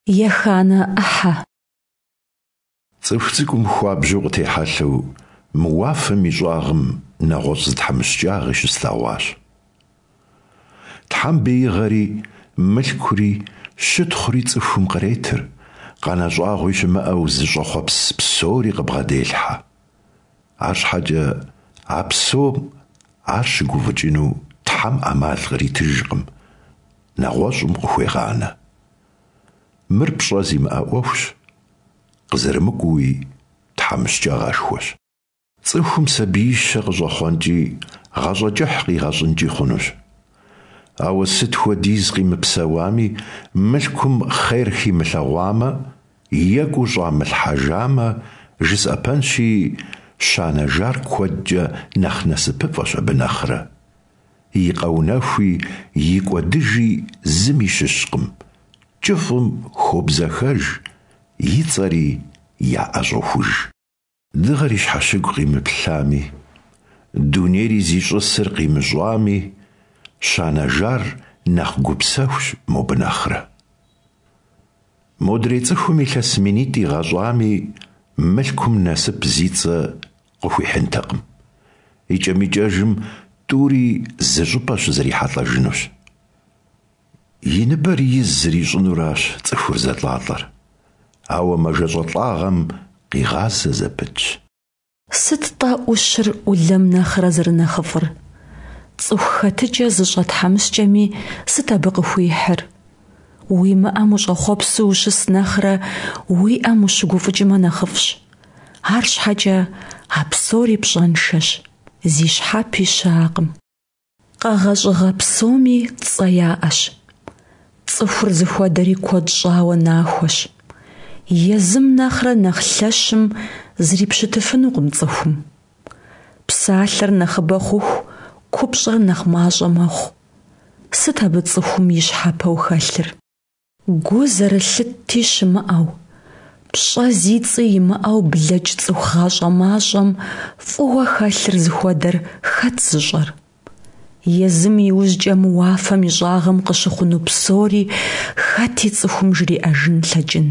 Еханэ ӏыхьэ. Цӏыху цӏыкӏум хуабжьу къытехьэлъэу мы уафэм и щӏагъым нэгъуэщӏ зы тхьэмыщкӏагъи щыслъэгъуащ. Тхьэм беигъэри, мылъкури, щытхъури цӏыхум къретыр, къанэ щӏагъуи щымыӏэу зыщӏэхъуэпс псори къыбгъэделъхьэ. Арщхьэкӏэ а псом ар щыгуфӏыкӏыну Тхьэм ӏэмал къритыжкъым, нэгъуэщӏым къыхуегъанэ. Мыр пщӏэ зимыӏэ ӏуэхущ, къызэрымыкӏуэуи тхьэмыщкӏагъэшхуэщ. Цӏыхум сабиищэ къыщӏэхъуэнкӏи, гъащӏэ кӏыхь къигъэщӏынкӏи хъунущ. Ауэ сыт хуэдиз къимыпсэуами, мылъкум хъер химылъэгъуамэ, екӏуу щӏамылъхьэжамэ, жысӏэпэнщи, щанэжар куэдкӏэ нэхъ насыпыфӏэщ абы нэхърэ. И къэунэхуи и кӏуэдыжи зыми щыщкъым, кӏыфӏым хобзэхэж, и цӏэри яӏэщӏохуж. Дыгъэр и щхьэщыгу къимыплъами, дунейри зищӏысыр къимыщӏами, щанэжар нэхъ гупсэхущ мобы нэхърэ. Модрей цӏыхум илъэс минитӏ игъэщӏами, мылъкум насып зи цӏэ къыхуихьынтэкъым. Икӏэм-икӏэжым тӏури зы щӏыпӏэ щызэрихьэлӏэжынущ. И ныбэр из зэрищӏынуращ цӏыхур зэлӏалӏэр, ауэ мэжэщӏэлӏагъэм къигъазэ зэпытщ. Сыт-тӏэ ӏущыр ӏулэм нэхърэ зэрынэхъыфӏыр? Цӏыху хэтыкӏэ зыщӏэ тхьэмыщкӏэми сыт абы къыхуихьыр? Уимыӏэм ущӏэхъуэпсу ущыс нэхърэ уиӏэм ущыгуфӏыкӏмэ нэхъыфӏщ. Арщхьэкӏэ а псори пщӏэншэщ, зи щхьэпи щыӏэкъым. Къэгъэщӏыгъэ псоми цӏэ яӏэщ. Цӏыхур зыхуэдэри куэд щӏауэ нахуэщ. Езым нэхърэ нэхъ лъэщым зрипщытыфынукъым цӏыхум. Псалъэр нэхъыбэ хъуху, купщӏэр нэхъ мащӏэ мэхъу. Сыт абы цӏыхум и щхьэпэу хэлъыр? Гу зэрылъытти щымыӏэу, пщӏэ зи цӏи имыӏэу блэкӏ цӏыху гъащӏэ мащӏэм фӏыуэ хэлъыр зыхуэдэр хэт зыщӏэр? Езым иужькӏэ мы уафэм и щӏагъым къыщыхъуну псори хэти цӏыхум жриӏэжын лъэкӏын?